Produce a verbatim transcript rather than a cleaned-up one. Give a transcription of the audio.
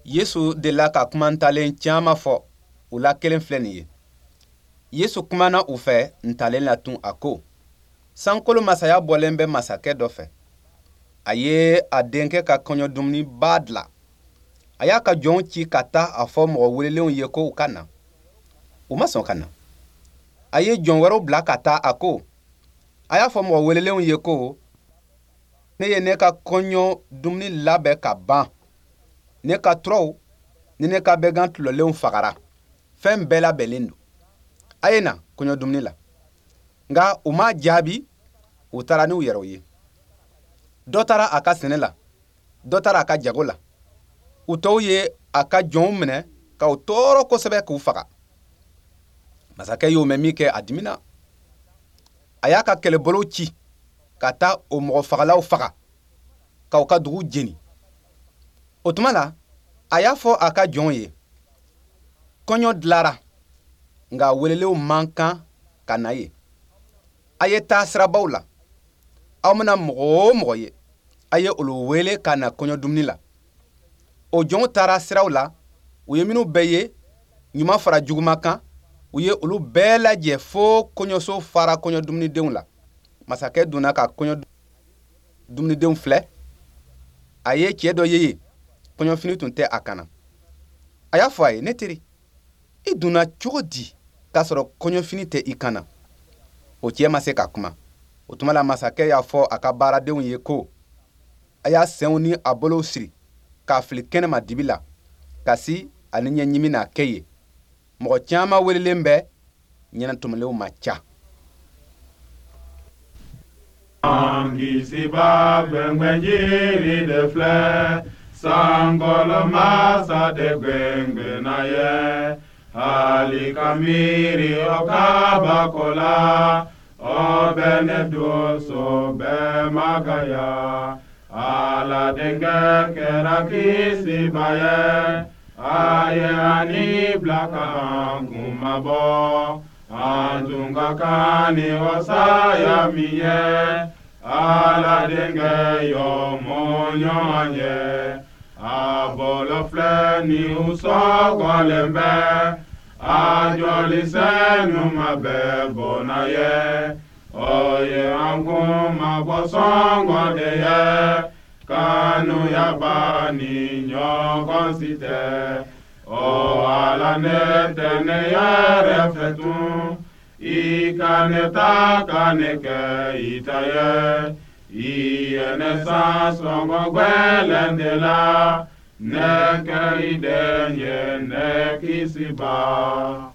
Yesu delila ka kuma ntalen caman fɔ, u la kelen filɛ nin ye. Yesu kumana u fɛ ntalen la tun, a ko: Sankolo masaya bɔlen bɛ masakɛ dɔ fɛ. A ye a denkɛ ka kɔɲɔ dumuniba dilan. A y'a ka jɔnw ci ka taa a fɔ mɔgɔ welelenw ye ko u ka na. U ma sɔn ka na. A ye jɔn wɛrɛw bila ka taa, a ko: A y'a fɔ mɔgɔ welelenw ye ko ne ye ne ka kɔɲɔ dumuni labɛn ka ban. Ne ka turaw ni ne ka bɛgan tulɔlenw fagara. Fɛn bɛɛ labɛnlen don. A ye na kɔɲɔ dumuni la. Nka u m'a jaabi, u taara n'u yɛrɛw ye. Dɔ taara a ka sɛnɛ la, dɔ taara a ka jago la. U tɔw ye a ka jɔnw minɛ k'u tɔɔrɔ kosɛbɛ k'u faga. Masakɛ y'o mɛn min kɛ, a dimina. A y'a ka kɛlɛbolow ci ka taa o mɔgɔfagalaw faga k'aw ka dugu jeni. O tuma la, a y'a fɔ a ka jɔnw ye: Kɔɲɔ dilara, nka welelenw man kan ka na yen. A ye taa sirabaw la. Aw mana mɔgɔ o mɔgɔ ye, a ye olu wele ka na kɔɲɔ dumuni la. O jɔnw taara siraw la, u ye minnu bɛɛ ye, ɲuman fara juguman kan, u ye olu bɛɛ lajɛ fo kɔɲɔso fara kɔɲɔ dumunidenw la. Masakɛ donna ka kɔɲɔ dumunidenw filɛ. A ye cɛ dɔ ye yen, kɔɲɔfini tun tɛ a kan na. A y'a fɔ a ye: Ne teri, i donna cogo di k'a sɔrɔ kɔɲɔfini tɛ i kan na? O cɛ ma se ka kuma. O tuma la, masakɛ y'a fɔ a ka baaradenw ye ko: A y'a senw ni a bolow siri k'a fili kɛnɛma dibi la, kasi ani ɲɛɲimi n'a kɛ ye. Mɔgɔ caman welelen bɛ, ɲɛnatɔmɔlenw ma ca. An kisiba gbɛngbɛnjiri de filɛ, sankolo masa de gbɛngbɛnna ye. Hali ka miiri o kabako la, o bɛ ne donso bɛɛ magaya. Ala denkɛ kɛra kisiba ye, a ye ani bila ka an kunmabɔ. An tun ka kan ni o saya min ye, Ala denkɛ y'o mɔɲɔ an ye. A bolo filɛ ni u sɔgɔlen bɛ, a joli sɛnuma bɛɛ bɔnna ye. O ye an kunmabɔ sɔngɔ de ye, kanuyaba ni ɲɔgɔn si tɛ. O Ala, ne tɛ ne yɛrɛ fɛ tun, i ka ne ta ka ne kɛ i ta ye. I ye ne san sɔngɔ gwɛlɛn de la, ne kɛ i den ye, ne kisiba.